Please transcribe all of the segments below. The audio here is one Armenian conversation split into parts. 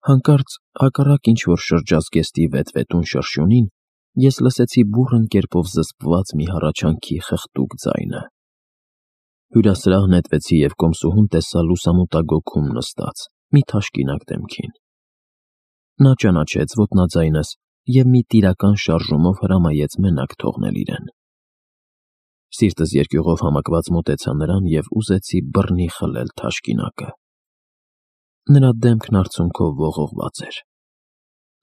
Հանկարծ հակառակ ինչ-որ շրջազգեստի վետ-վետուն շրշյունին ես լսեցի բուռն կերպով զսպված մի հառաչանքի խղտուկ ձայնը։ Հյուրասրահ նետվեցի և կոմսուհուն տեսա լուսամուտագոգում նստած, մի թաշկինակ դեմքին։ Նա ճանաչեց ոտնաձայնս և մի տիրական շարժումով հրամայեց մենակ թողնել իրեն։ Սիրտս երկյուղով համակված մոտեցա նրան և ուզեցի բռնի խլել թաշկինակը։ Նրա դեմքն արցունքով ողողված էր։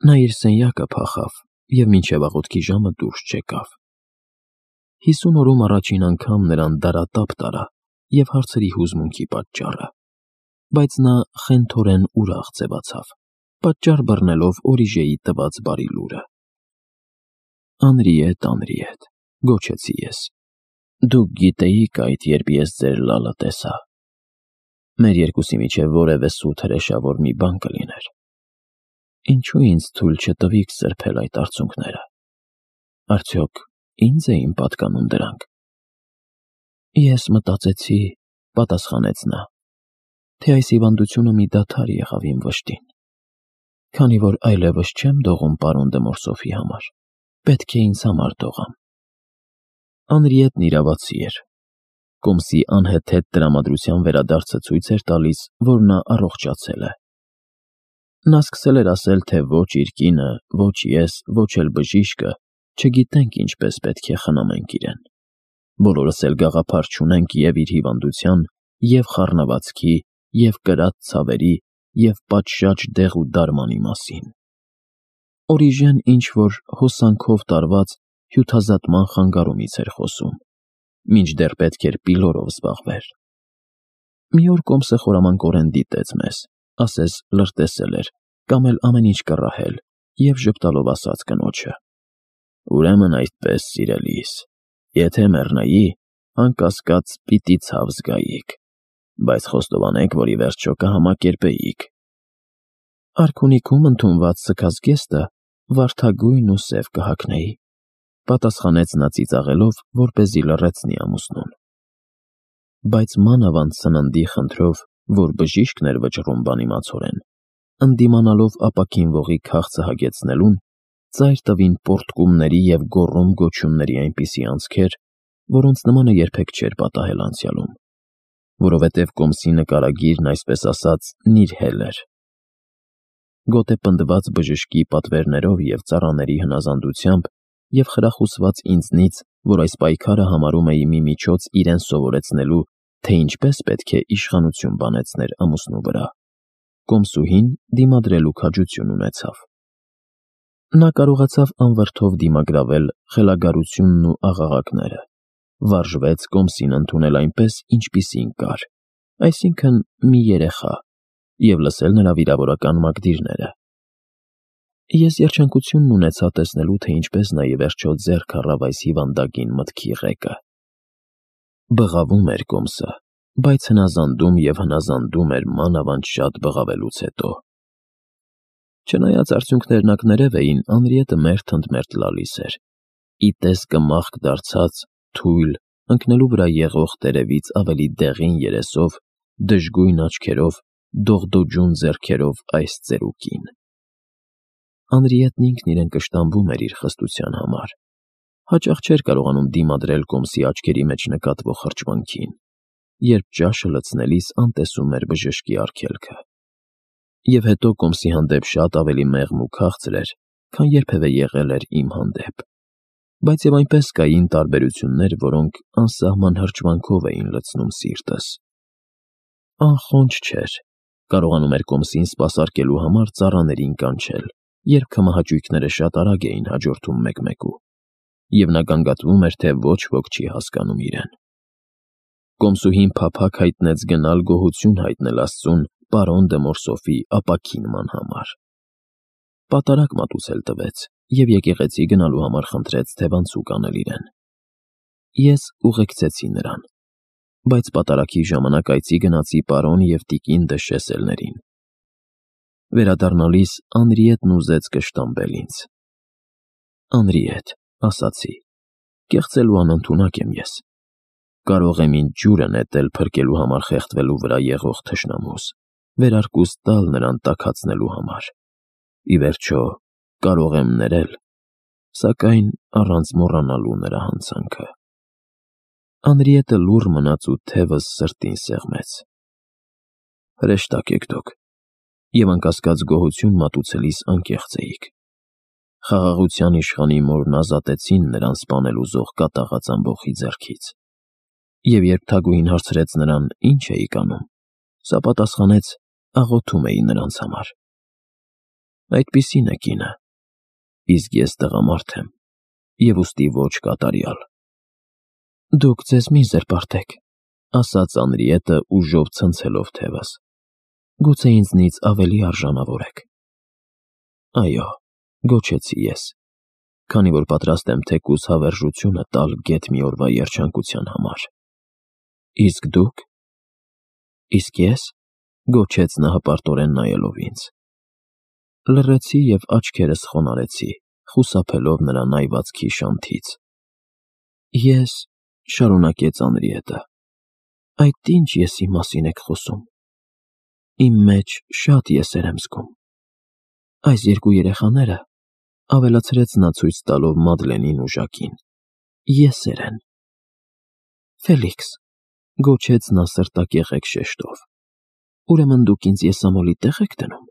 Նա իր սենյակը փախավ և մինչև աղոթքի ժամը դուրս չեկավ։ 50 օրում առաջին անգամ նրան դարատափ տարա և հարցրի հուզմունքի պատճառը, բայց նա խենթորեն ուրախ ձևացավ, պատճառ բռնելով Օրիժեի տված բարի լուրը։ «Անրիետ, Անրիետ», գոչեցի ես, «դուք գիտեիք այդ, երբ ես ձեր լալը տեսա։ Մեր երկուսի միջև որևէ սուտ հրեշավոր մի բան կլիներ։ Ինչու ինձ թույլ չտվիք սրբել այդ արցունքները։ Արդյոք ինձ էին պատկանում դրանք»։ «Ես մտածեցի», պատասխանեց նա, «թե այս հիվանդությունը մի դադար եղավ իմ վշտին։ Քանի որ այլևս չեմ դողում պարոն դը Մորսոֆի համար, պետք է ինձ համար դողամ»։ Անրիետն իրավացի էր։ Կոմսի անհեթեթ տրամադրության վերադարձը ցույց էր տալիս, որ նա առողջացել է։ Նա սկսել էր ասել, թե ոչ իր կինը, ոչ ես, ոչ էլ բժիշկը չգիտենք ինչպես պետք է խնամենք իրեն։ Բոլորս էլ գաղափար չունենք և իր հիվանդության, և խառնվածքի, և կրած ցավերի, և պատշաճ դեղ ու դարմանի մասին։ Օրիժեն ինչ-որ հոսանքով տարված հյութազատման խանգարումից էր խոսում, մինչդեռ պետք էր պիլորով զբաղվեր։ Մի օր Կոմսը խորամանկորեն դիտեց մեզ, ասես լրտեսել էր, կամ էլ ամեն ինչ կռահել, և ժպտալով ասաց կնոջը. «Ուրեմն այդպես, սիրելիս, եթե մեռնայի, անկասկած պիտի ցավ զգայիք, բայց խոստովանեք, որ ի վերջո կհամակերպեիք»։ «Արքունիքում ընդունված սգազգեստը վարդագույն ու սև կհագնեի», պատասխանեց նա ծիծաղելով, որպեսզի լռեցնի ամուսնուն։ Բայց մանավանդ սննդի խնդրով, որ բժիշկն էր վճռում բանիմացորեն, ընդդիմանալով ապաքինվողի քաղցը հագեցնելուն, ծայր տվին պոռթկումների և գոռում-գոչյունների այնպիսի անցքեր, որոնց նմանը երբեք չէր պատահել անցյալում, որովհետև Կոմսի նկարագիրն, այսպես ասած, նիրհել էր։ Գոտեպնդված բժշկի պատվերներով և ծառաների հնազանդությամբ և խրախուսված ինձնից, որ այս պայքարը համարում էի մի միջոց իրեն սովորեցնելու, թե ինչպես պետք է իշխանություն բանեցներ ամուսնու վրա, կոմսուհին դիմադրելու քաջություն ունեցավ։ Նա կարողացավ անվրդով դիմագրավել խելագարությունն ու աղաղակները, վարժվեց Կոմսին ընդունել այնպես, ինչպիսին կար, այսինքն մի երեխա, և լսել նրա վիրավորական մակդիրները։ Ես երջանկությունն ունեցա տեսնելու, թե ինչպես նա ի վերջո ձեռք առավ այս հիվանդագին մտքի ղեկը։ Բղավում էր Կոմսը, բայց հնազանդում և հնազանդում էր մանավանդ շատ բղավելուց հետո։ Չնայած արդյունքներն ակներև էին, Անրիետը մերթ ընդ մերթ լալիս էր, ի տեսքը մաղք դարձած, թույլ, ընկնելու վրա եղող տերևից ավելի դեղին երեսով, դժգույն աչքերով, դողդոջուն ձեռքերով այս ծերուկին։ Անրիետն ինքն իրեն կշտամբում էր իր խստության համար, հաճախ չէր կարողանում դիմադրել Կոմսի աչքերի մեջ նկատվող հրճվանքին, երբ ճաշը լցնելիս անտեսում էր բժշկի արգելքը։ Եվ հետո Կոմսի հանդեպ շատ ավելի մեղմ ու քաղցր էր, քան երբևէ եղել էր իմ հանդեպ։ Բայց և այնպես կային տարբերություններ, որոնք անսահման հրճվանքով էին լցնում սիրտս։ Անխոնջ չէր, կարողանում էր Կոմսին սպասարկելու համար ծառաներին կանչել, երբ քմահաճույքները շատ արագ էին հաջորդում մեկ-մեկու, և նա գանգատվում էր, թե ոչ ոք չի հասկանում իրեն։ Կոմսուհին փափագ հայտնեց գնալ գոհություն հայտնել Աստծուն պարոն դը Մորսոֆի ապաքինման համար։ Պատարագ մատուցել տվեց և եկեղեցի գնալու համար խնդրեց թևանցուկ անել իրեն։ Ես ուղեկցեցի նրան, բայց պատարագի ժամանակ այցի գնացի պարոն և տիկին դը Շեսելներին։ Վերադառնալիս Անրիետն ուզեց կշտամբել ինձ։ «Անրիետ», ասացի, «կեղծելու անընդունակ եմ ես։ Կարող եմ ինձ ջուրը նետել փրկելու համար խեղդվելու վրա եղող թշնամուս, վերարկուս տալ նրան տաքացնելու համար։ Ի վերջո, կարող եմ ներել, սակայն առանց մոռանալու նրա հանցանքը։ Անրիետը լուռ մնաց ու թևս սրտին սեղմեց։ Հրեշտակ եք դուք, և անկասկած գոհություն մատուցելիս անկեղծ էիք։ Խաղաղության իշխանի մորն ազատեցին նրան սպանել ուզող կատաղած ամբոխի ձեռքից։ Եվ երբ Թագուհին հարցրեց նրան ինչ էիք անում, սա պատասխանեց. աղոթում էի նրանց համար։ Այդպիսին է կինը, իսկ ես տղամարդ եմ, և ուստի ոչ կատարյալ։ Դուք ձեզ մի զրպարտեք, ասաց Անրիետը ուժով ցնցելով թևս։ Գուցե ինձնից ավելի արժանավոր եք։ Այո, գոչեցի ես, քանի որ պատրաստ եմ թեկուզ հավերժությունը տալ գեթ մի օրվա երջանկության համար։ Իսկ դուք։ Իսկ ես, գոչեց նա հպարտորեն նայելով ինձ։ Լռեցի և աչքերս խոնարհեցի, խուսափելով նրա նայվածքի շանթից։ Ես, շարունակեց Անրիետը, այդ ինչ եսի մասին եք խոսում։ Իմ մեջ շատ եսեր եմ զգում։ Այս երկու երեխաները, ավելացրեց նա ցույց տալով Մադլենին ու Ժակին, եսեր են։ Ֆելիքս, գոչեց նա սրտակեղեկ շեշտով, ուրեմն դուք ինձ եսամոլի տեղ եք դնում։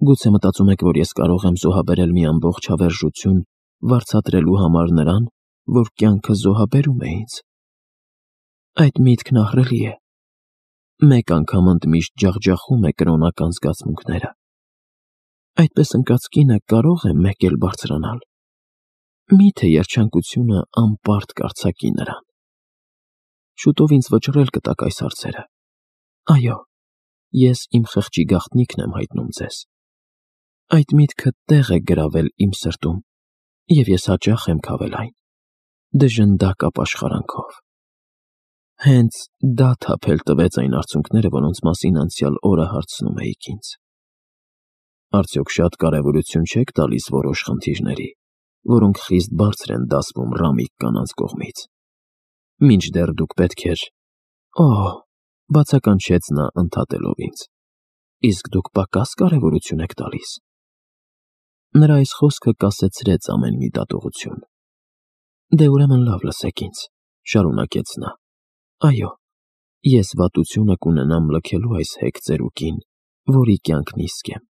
Գուցե մտածում եք, որ ես կարող եմ զոհաբերել մի ամբողջ հավերժություն վարձատրելու համար նրան, որ կյանքը զոհաբերում է ինձ։ Այդ միտքն ահռելի է։ Մեկ անգամ ընդմիշտ ջախջախում է կրոնական զգացմունքները։ Այդպես ընկած կինը կարող է մեկ էլ բարձրանալ։ Միթե երջանկությունը անպարտ կարձակի նրան։ Շուտով ինձ վճռել կտաք այս հարցերը։ Այո, ես իմ խղճի գաղտնիքն եմ հայտնում ձեզ։ Այդ միտքը տեղ է գրավել իմ սրտում, և ես հաճախ եմ քավել այն, դժնդակ ապաշխարանքով։ Հենց դա թափել տվեց այն արցունքները, որոնց մասին անցյալ օրը հարցնում էիք ինձ։ Արդյոք շատ կարևորություն չեք տալիս որոշ խնդիրների, որոնք խիստ բարձր են դասվում ռամիկ կանանց կողմից։ Մինչդեռ դուք պետք էր… Օհ, բացականչեց նա ընդհատելով ինձ։ Իսկ դուք պակաս կարևորություն եք տալիս։ Նրա այս խոսքը կասեցրեց ամեն մի դատողություն։ Դե ուրեմն լավ լսեք ինձ, շարունակեց նա։ Այո, ես վատությունը կունենամ լքելու այս հեգ ծերուկին, որի կյանքն իսկ եմ։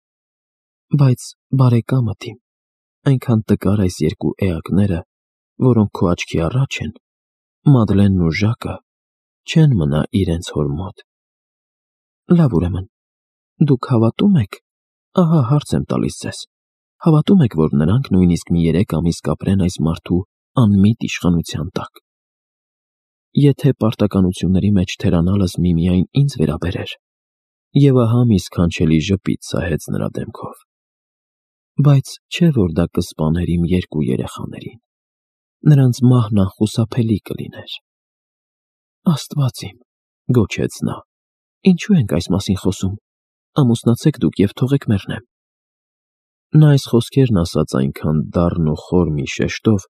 Բայց բարեկամդ իմ, այնքան տկար այս երկու էակները, որոնք քո աչքի առաջ են, Մադլենն ու Ժակը, չեն մնա իրենց հոր մոտ։ Լավ ուրեմն, դուք հավատում եք, ահա հարց եմ տալիս ձեզ, հավատում եք, որ նրանք նույնիսկ մի 3 ամիս կապրեն այս մարդու անմիտ իշխանության տակ։ Եթե պարտականությունների մեջ թերանալս միմիայն ինձ վերաբերեր, և ահա մի սքանչելի ժպիտ սահեց նրա դեմքով։ Բայց չէ, որ դա կսպաներ իմ երկու երեխաներին։ Նրանց մահն անխուսափելի կլիներ։ Աստված իմ, գոչեց նա, ինչու ենք այս մասին խոսում, ամուսնացեք դուք և թողեք մեռնեմ։ Նա այս խոսքերն ասաց այնքան դառն ու խոր մի շեշտով,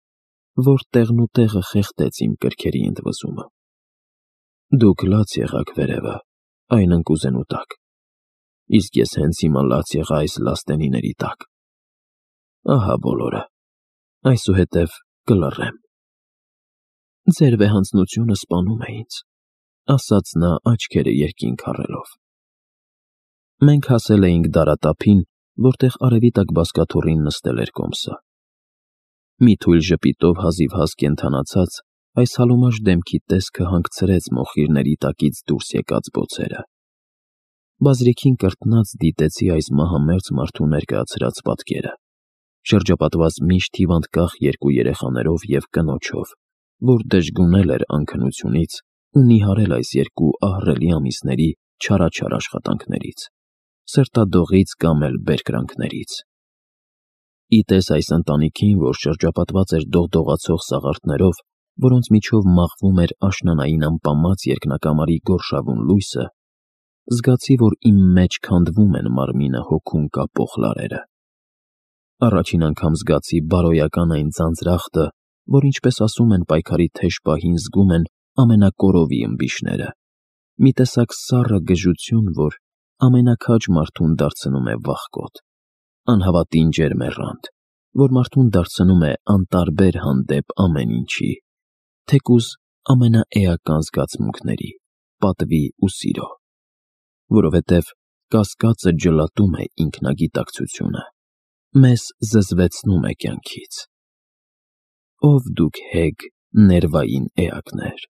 որ տեղն ու տեղը խեղդեց իմ կրքերի ընդվզումը։ Դուք լաց եղաք վերևը, այն ընկուզենու տակ, իսկ ես հենց հիմա լաց եղա այս լաստենիների տակ։ Ահա բոլորը, այսուհետև կլռեմ։ Ձեր վեհանձնությունը սպանում է ինձ, ասաց նա աչքերը երկինք առելով։ Մենք հասել էինք դարատափին, որտեղ արևի տակ բազկաթոռին նստել էր կոմսը։ Մի թույլ ժպիտով հազիվհազ կենդանացած, այս հալոմաշ դեմքի տեսքը հանգցրեց մոխիրների տակից դուրս եկած բոցերը։ Բազրիքին կրտնած դիտեցի այս մահամերձ մարդու ներկայացրած պատկերը, շրջապատված միշտ հիվանդկախ երկու երեխաներով և կնոջով, որ դժգունել էր անքնությունից ու նիհարել այս երկու ահռելի ամիսների չարաչար աշխատանքներից, սրտադողից կամ էլ բերկրանքներից։ Իտես այս ընտանիքին, որ շրջապատված էր դողդողացող սաղարթներով, որոնց միջով մաղվում էր աշնանային ամպամած երկնակամարի գորշավուն լույսը, զգացի, որ իմ մեջ քանդվում են մարմինը հոգուն կապող լարերը։ Առաջին անգամ զգացի բարոյական այն ձանձրախտը, որ ինչպես ասում են պայքարի թեժ պահին զգում են ամենակորովի ըմբիշները, մի տեսակ սառը գժություն, որ ամենակաջ մարդուն դարձնում է վախկոտ, անհավատին ջերմեռանդ, որ մարդուն դարձնում է անտարբեր հանդեպ ամեն ինչի, թեկուզ ամենաէական զգացմունքների, պատվի ու սիրո, որովհետև կասկածը ջլատում է ինքնագիտակցությունը, մեզ զզվեցնում է կյանքից։ Ով դուք հեգ, ներվային էակներ,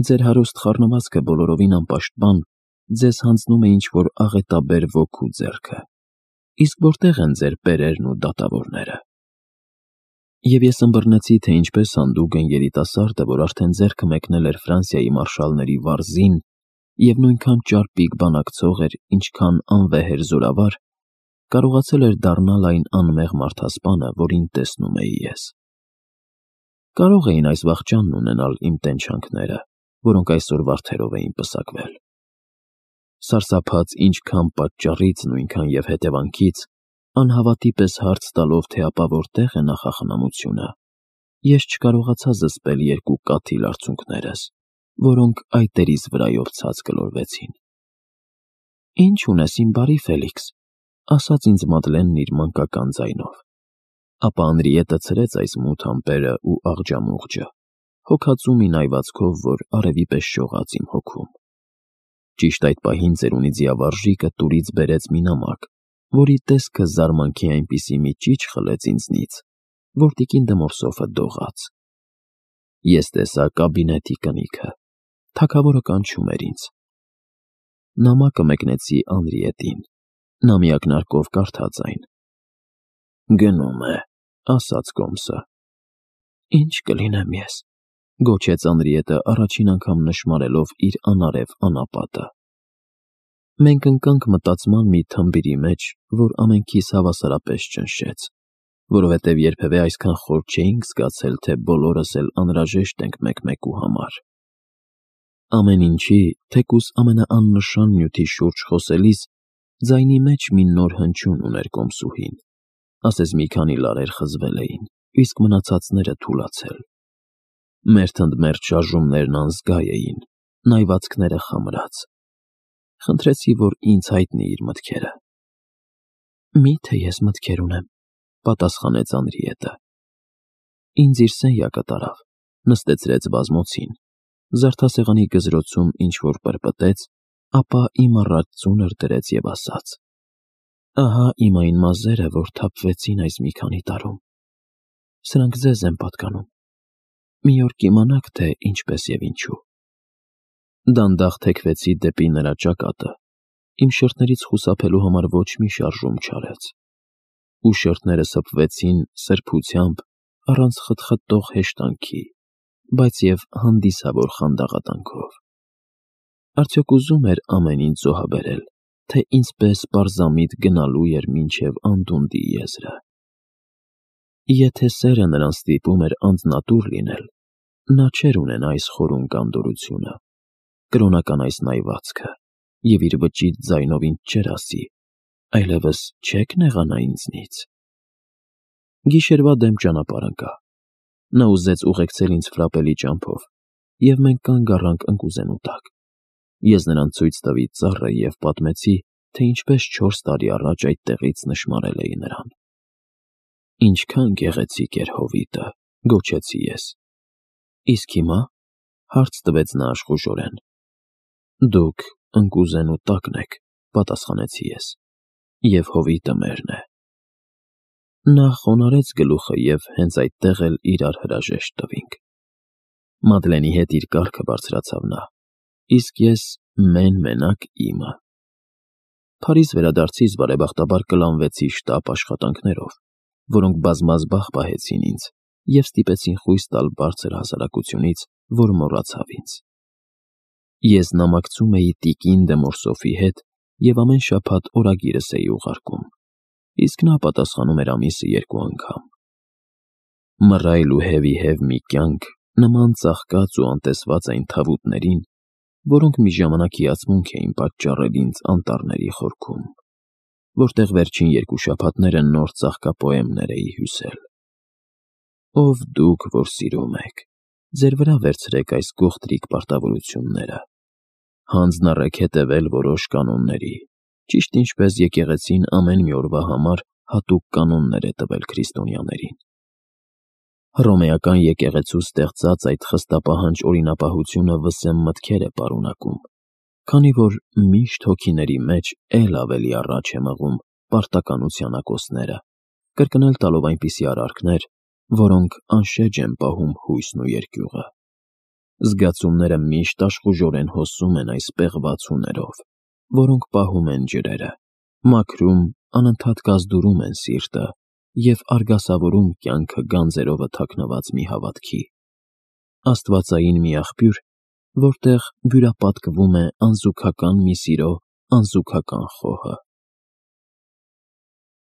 ձեր հարուստ խառնվածքը բոլորովին անպաշտպան ձեզ հանձնում է ինչ-որ աղետաբեր ոգու ձեռքը, իսկ որտեղ են ձեր պերերն ու դատավորները։ Եվ ես ըմբռնեցի, թե ինչպես հանդուգն երիտասարդը, որ արդեն ձեռքը մեկնել էր Ֆրանսիայի մարշալների վարզին և նույնքան ճարպիկ բանակցող էր, ինչքան անվեհ էր զորավար, կարողացել էր դառնալ այն անմեղ մարդասպանը, որին տեսնում էի ես։ Կարող էին այս վախճանն ունենալ իմ տենչանքները, որոնք այսօր վարդերով էին պսակվել։ Սարսափած ինչքան պատճառից, նույնքան և հետևանքից, անհավատի պես հարց տալով, թե ապա որտեղ է նախախնամությունը, ես չկարողացա զսպել երկու կաթիլ արցունքներս, որոնք այտերիս վրայով ցած գլորվեցին։ «Ինչ ունես, իմ բարի Ֆելիքս», ասաց ինձ Մադլենն իր մանկական ձայնով։ Ապա Անրիետը ցրեց այս մութ ամպերը ու աղջամուղջը, հոգածու մի նայվածքով, որ արևի պես շողաց իմ հոգում։ Ճիշտ այդ պահին ծերունի ձիավարժիկը տուրից բերեց մի նամակ, որի տեսքը զարմանքի այնպիսի մի ճիչ խլեց ինձնից, որ տիկին Դմորսոֆը դողաց։ Ես տեսա կաբինետի կնիքը, թագավորը կանչում էր ինձ։ Նամակը մեկնեցի Անրիետին, նա մի ակնարկով կարդաց այն։ «Գնում է», ասաց կոմսը։ «Ինչ կլինեմ ես», գոչեց Անրիետը առաջին անգամ նշմարելով իր անարև անապատը։ Մենք ընկանք մտածման մի թմբիրի մեջ, որ ամենքիս հավասարապես ճնշեց, որովհետև երբևէ այսքան խոր չէինք զգացել, թե բոլորս էլ անհրաժեշտ ենք մեկ-մեկու համար։ Ամեն ինչի, թեկուզ ամենաաննշան նյութի շուրջ խոսելիս, ձայնի մեջ մի նոր հնչյուն ուներ կոմսուհին, ասես մի քանի լարեր խզվել էին, իսկ մնացածները թուլացել։ Մերթ ընդ մերթ շարժումներն անզգա էին, նայվածքները խամրած։ Խնդրեցի, որ ինձ հայտնի իր մտքերը։ «Մի՞թե ես մտքեր ունեմ», պատասխանեց Անրիետը։ Ինձ իր սենյակը տարավ, նստեցրեց բազմոցին, զարդասեղանի գզրոցում ինչ-որ պրպտեց, ապա իմ առաջ ծունր դրեց և ասաց. «Ահա իմ այն մազերը, որ թափվեցին այս մի քանի տարում։ Սրանք ձեզ են պատկանում։ Մի օր կիմանաք, թե ինչպես և ինչու»։ Դանդաղ թեքվեցի դեպի նրա ճակատը, իմ շրթներից խուսափելու համար ոչ մի շարժում չարեց, ու շրթները սփվեցին սրբությամբ, առանց խտխտող հեշտանքի, բայց և հանդիսավոր խանդաղատանքով։ Արդյոք ուզում էր ամեն ինչ զոհաբերել, թե ինձպես պարզամիտ գնալու էր մինչև անդունդի եզրը։ Եթե սերը նրան ստիպում էր անձնատուր լինել, նա չէր ունենա այս խորուն կանտորությունը, կրոնական այս նայվածքը, և իր վճիտ ձայնով ինձ չէր ասի. «Այլևս չե՞ք նեղանա ինձնից»։ Գիշերվա դեմ ճանապարհ ընկա։ Նա ուզեց ուղեկցել ինձ ֆրապելի ճամփով, և մենք կանգ առանք ընկուզենու տակ։ Ես նրան ցույց տվի ծառը և պատմեցի, թե ինչպես 4 տարի առաջ այդտեղից նշմարել էի նրան։ «Ինչքան գեղեցիկ էր հովիտը», գոչեցի ես։ «Իսկ հիմա», հարց տվեց նա աշխուժորեն։ «Դուք ընկուզենու տակն եք», պատասխանեցի ես, «և հովիտը մերն է»։ Նա խոնարհեց գլուխը և հենց այդտեղ էլ իրար հրաժեշտ տվինք։ Մադլենի հետ իր կառքը բարձրացավ նա, իսկ ես մեն-մենակ իմը։ Փարիզ վերադարձիս բարեբախտաբար կլանվեցի շտապ աշխատանքներով, որոնք բազմազբաղ պահեցին ինձ և ստիպեցին խույս տալ բարձր հասարակությունից, որ մոռացավ ինձ։ Ես նամակցում էի տիկին Դեմորսոֆի հետ և ամեն շաբաթ օրագիրս էի ուղարկում, իսկ նա պատասխանում էր ամիսը 2 անգամ։ Մռայլ ու հևիհև մի կյանք, նման ծաղկած ու անտեսված այն թավուտներին, որոնք մի ժամանակ հիացմունք էին պատճառել ինձ անտառների խորքում, որտեղ վերջին 2 շաբաթները նոր ծաղկապոեմներ էի հյուսել։ Ով դուք, որ սիրում եք, ձեր վրա վերցրեք այս գողտրիկ պարտավորությունները, հանձն առեք հետևել որոշ կանոնների, ճիշտ ինչպես եկեղեցին ամեն մի օրվա համար հատուկ կանոններ է տվել քրիստոնյաներին։ Հռոմեական եկեղեցու ստեղծած այդ խստապահանջ օրինապահությունը վսեմ մտքեր է պարունակում, քանի որ միշտ հոգիների մեջ էլ ավելի առաջ է մղում պարտականության ակոսները, կրկնել տալով այնպիսի արարքներ, որոնք անշեջ են պահում հույսն ու երկյուղը։ Զգացումները միշտ աշխուժորեն հոսում են այս պեղված հուներով, որոնք պահում են ջրերը, մաքրում, անընդհատ կազդուրում են սիրտը և արգասավորում կյանքը գանձերովը թաքնված մի հավատքի։ Աստվածային մի աղբյուր, որտեղ բյուրապատկվում է անզուգական մի սիրո անզուգական խոհը։